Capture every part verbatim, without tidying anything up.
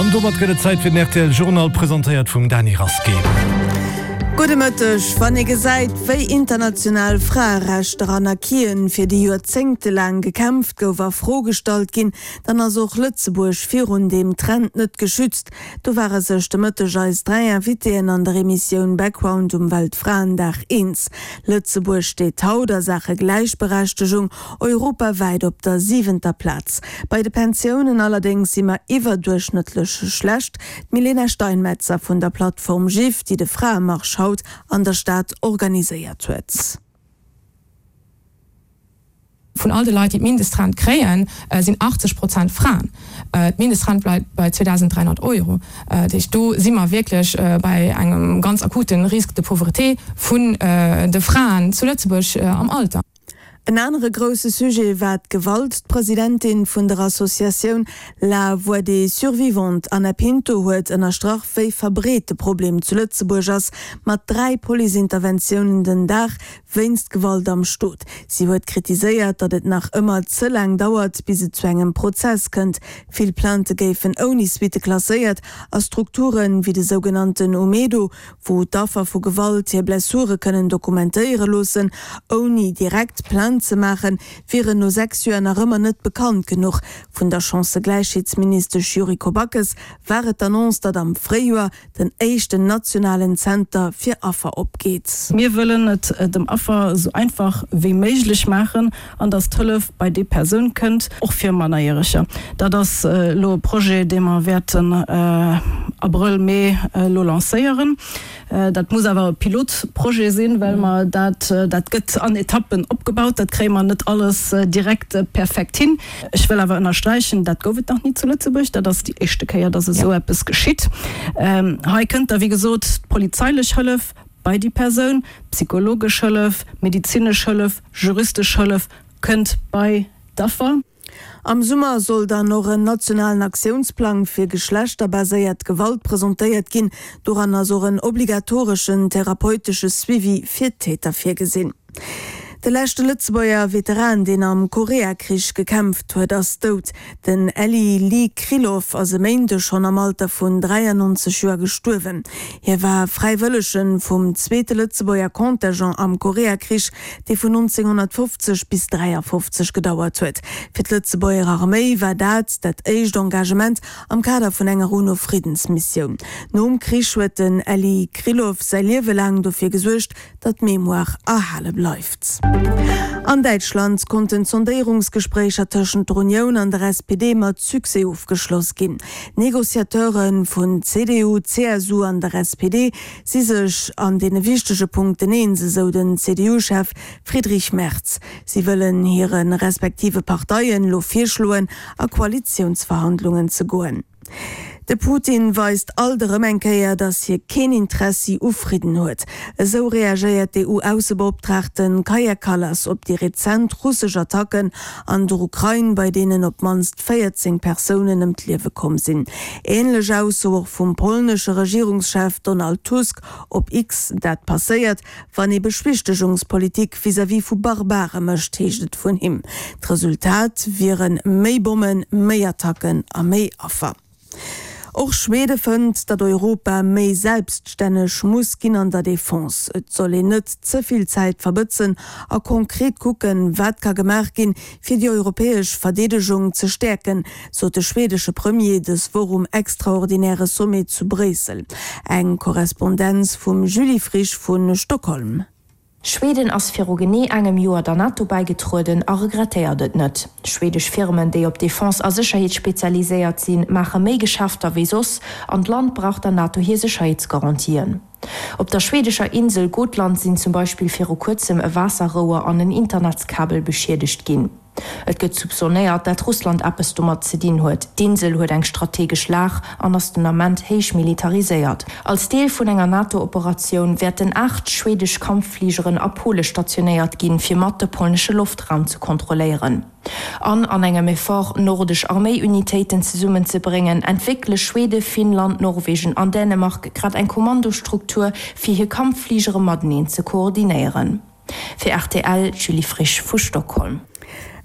An domat gëtt et Zäit fir den rtl Journal, presentéiert vum Dany Rasqué. Gudde Mëtteg. Wann ee gesäit, wéi international Fraerechter an Acquisen, fir déi joerzéngtelaang gekämpft gouf, a Fro gestallt ginn, dann ass och Lëtzebuerg virun deem Trend net geschützt. Do ware sech de Mëtteg eis dräi Invitéen an der Emissioun Background um Weltfraendag eens. Lëtzebuerg steet haut a Saache Gläichberechtegung europawäit op der siwenter Plaz. Bei de Pensiounen allerdéngs si mer iwwerduerchschnëttlech schlecht. D'Milena Steinmetzer vun der Plattform GIF, déi de Fraemarsch haut an der Stad organiséiert huet. Vun all de Leit, déi d'Mindestrent kréien, sinn achtzeg Prozent Fraen. D'Mindestrent bleift bei zweedausend dräihonnert Euro. Dat heescht, do si mer wierklech bei engem ganz akute Risque de pauvreté vun de Fraen zu Lëtzebuerg am Alter. En anere grousse Sujet war d'Gewalt. D'Presidentin vun der Associatioun La Voix des Survivantes, Ana Pinto, huet ënnerstrach, wéi verbreet de Problem zu Lëtzebuerg ass, mat dräi Policeinterventiounen den Dag wéinst Gewalt am Stot. Si huet kritiséiert, datt et nach ëmmer ze laang dauert, bis et zu engem Prozess kënnt. Vill Plainte géifen ouni Suitte klasséiert a Strukturen, wéi de sougenannten Umedo, wou d'Affer vu Gewalt hir Blessure kënnen dokumentéiere loossen, ouni direkt Plainte ze maachen, wieren no sechs Joer nach ëmmer net bekannt genuch. Vun der Chancëgläichheetsministesch Yuriko Backes war et d'Annonce, datt am Fréijoer den éischten nationalen Zenter fir Affer opgeet. Mir wëllen et dem Affer esou einfach wéi méiglech maachen an datt d'Hëllef bei déi Persoun kënnt, och fir Mannerjäreger. Dat ass elo e Projet, dee mer wäerten Abrëll, Mee elo lancéieren. Dat muss awer e Pilotprojet sinn, well mer dat, dat gëtt an Etappen opgebaut, dat kréie mer net alles direkt perfekt hin. Ech wëll awer ënnersträichen, dat gouf et nach ni zu Lëtzebuerg, dat ass déi éischte Kéier, dass esou eppes geschitt. Hei kënnt da wéi gesot d'polizeilech Hëllef bei déi Persoun, psychologesch Hëllef, medezinesch Hëllef, juristesch Hëllef kënnt bei d'Affer. Am Summer soll dann och en nationalen Aktiounsplang fir geschlechterbaséiert Gewalt presentéiert ginn. Doran ass och en obligatoreschen therapeutesche Suivi fir d'Täter virgesinn. De leschte Lëtzebuerger Veteran, deen am Koreakrich gekämpft huet, ass dout. Den Elie Lee Kriloff ass e Méindeg schonn am Alter vun dräiannonzeg Joer gestuerwen. Hie war Fräiwëllege vum zweete Lëtzebuerger Contingent am Koreakrich, dee vun nonzénghonnertfofzeg bis dräiafofzeg gedauert huet. Fir d'Lëtzebuerger Arméi war dat dat éischt Engagement am Kader vun enger UNO-Friddensmissioun. Nom Krich huet den Elie Kriloff säi Liewe laang dofir gesuergt, datt d'Mémoire erhale bleift. An Däitschland konnten d'Sondéierungsgespréicher tëschent der Unioun an der S P D mat Succès ofgeschloss ginn. D'Negociateure vun C D U, C S U an der S P D si sech an deene wichtege Punkten eens, esou den C D U-Chef Friedrich Merz. Si wëllen hire respektive Parteien elo virschloen, a Koalitiounsverhandlungen ze goen. De Putin weist alt erëm eng Kéier, datt hie keen Interessi u Fridden huet. Esou reagéiert d'E U-Aussebeoptraagten Kaja Kallas op déi rezent russesch Attacken an der Ukrain, bei deenen op d'mannst véierzéng Persounen ëm d'Liewe komm sinn. Änlech Ausso och vum polnesche Regierungschef Donald Tusk op X. Dat passéiert, wann ee Beschwichtegungspolitik vis-à-vis vu Barbare mécht, heescht et vun him. D'Resultat wiere méi Bommen, méi Attacken a méi Affer. Och Schwede fënnt, datt Europa méi selbststänneg muss ginn an der Defense. Et soll een net ze vill Zäit verbëtzen a konkret kucken, wat ka gemaach ginn, fir déi europäesch Verdeedegung ze stäerken, sot de schwedesche Premier dës Woch um extraordinäre Sommet zu Bréissel. Eng Korrespondenz vum Julie Frisch vu Stockholm. Schweden ass viru genee engem Joer der NATO bäigetrueden a regrettéiert et net. Schwedesch Firmen, déi op Defense a Sécherheet spezialiséiert sinn, maache méi Geschäfter wéi soss an d'Land brauch der NATO hir Sécherheetsgarantien. Op der schwedescher Insel Gotland sinn zum Beispill viru kuerzem e Waasserrouer an en Internetskabel beschiedegt ginn. Et gëtt soupçonnéiert, dat Russland eppes domat ze dinn huet. D'Insel huet eng strategesch Lag an ass den Ament héich militariséiert. Als Deel vun enger NATO-Operatioun wäerten aacht schwedesch Kampffligeren a Pole stationéiert ginn, fir mat de polnesche Loftraum ze kontrolléieren. An an engem Effort, nordesch Arméiunitéiten zesummenzebréngen, entwéckele Schwede, Finnland, Norwegen an Dänemark grad eng Kommandostruktur, fir hir Kampffligere mateneen ze koordinéieren. Fir R T L, Julie Frisch vu Stockholm.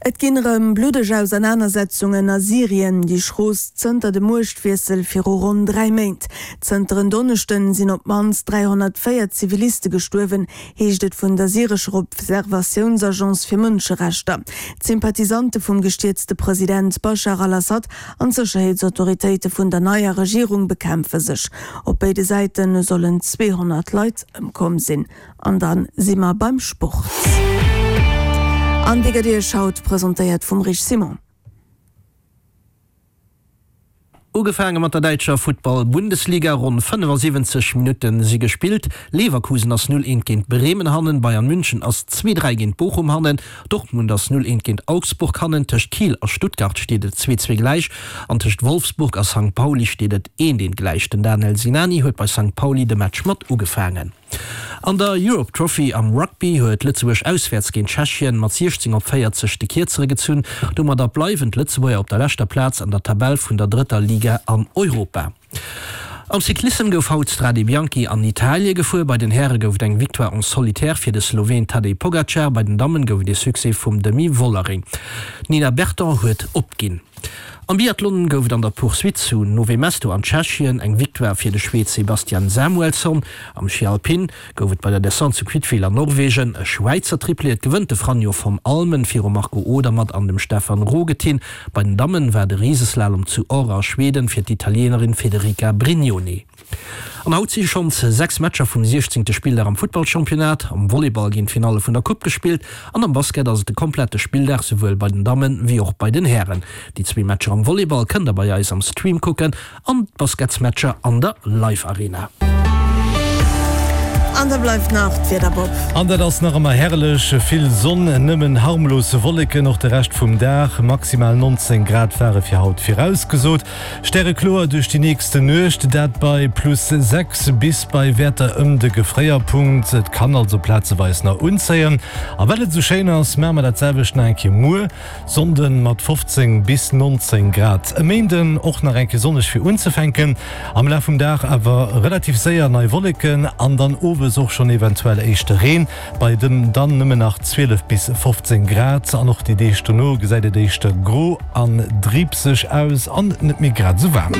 Et ginn erëm bluddeg Ausernanersetzungen a Syrien, déi schroost zënter dem Muechtwiessel viru ronn dräi Méint. Zënter en Donneschden sinn op d'mannst dräihonnertvéier Ziviliste gestuerwen, heescht et vun der syrescher Observatiounsagence fir Mënscherechter. D'Sympathisante vum gestierzte President Baschar al-Assad an d'Sécherheetsautoritéite vun der neier Regierung bekämpfe sech. Op béide Säite sollen zweehonnert Leit ëmkomm sinn. An dann si mer beim Sport. An déi gëtt Iech haut presentéiert vum Rich Simon. Ugefaange mat der däitscher Futtball-Bundesliga, Ronn fënnefasiwwenzeg Minutte si gespillt. Leverkusen ass null eent géint Bremen hannen, Bayern München ass zwee dräi géint Bochum hannen, Dortmund ass null eent géint Augsburg hannen, tëscht Kiel a Stuttgart steet et zwee zwee gläich an tëscht Wolfsburg a Sankt Pauli steet et eent eent gläich. Den Daniel Sinani huet bei Sankt Pauli de Match mat ugefaangen. An der Europe Trophy am Rugby huet Lëtzebuerg auswäerts géint Tschechien mat siechzéng op véierzeg de Kierzere gezunn. Domadder bleiwen d'Lëtzebuerger op der leschter Plaz an der Tabell vun der drëtter Liga an Europa. Am Cyclissem gouf haut d'Strade Bianchi an Italie gefuer. Bei den Häre gouf et eng Victoire en solitaire fir de Sloween Tadej Pogacar, bei den Dammen gouf et ee Succès vum Demi Vollering. D'Nina Berton huet opginn. Am Biathlon gouf et an der Poursuite zu Nové Mesto an Tschechien eng Victoire fir de Schwed Sebastian Samuelsson. Am Schi Alpin gouf et bei der Descente zu Kvitfjell an Norwegen e Schwäizer Triplé. Et gewënnt de Franjo von Allmen virum Marco Odermatt an dem Stefan Rogentin. Bei den Dammen war de Riseslalom zu Åre a Schweden fir d'Italienerin Federica Brignone. An haut si schonns sechs Matcher vum siechzéngte Spilldag am Futtballchampionnat, am Volleyball ginn d'Finalle vun der Coupe gespillt an am Basket ass et de komplette Spilldag, souwuel bei den Dammen wéi och bei den Hären. Déi zwee Matcher am Volleyball kënnt der bei eis am Stream kucken an d'Basketsmatcher an der Live Arena. An da bleift nach d'Wieder, Bob. An dat ass nach ëmmer herrlech, vill Sonn, nëmmen harmlos Wolleken och de Rescht vum Dag. Maximal neunzéng Grad ware fir haut virausgesot. Stärekloer duerch déi nächste Nuecht, dat bei plus sechs bis bei Wäerter ëm de Gefréierpunkt. Et kann also plazeweis nach unzéien. A well et esou schéin ass, maache mer dat selwecht nach eng Kéier muer Sonnden mat fofzéng bis neunzéng Grad. E Méinden och nach eng Kéier sonneg fir unzefänken, am Laf vum Dag awer relativ séier nei Wolleken an dann owes och schonn eventuell éischte Reen, bei dem dann nëmmen nach zwielef bis fofzéng Grad. An och déi Deeg dono gesäit et éischter gro an driibseg aus an net méi grad esou waarm.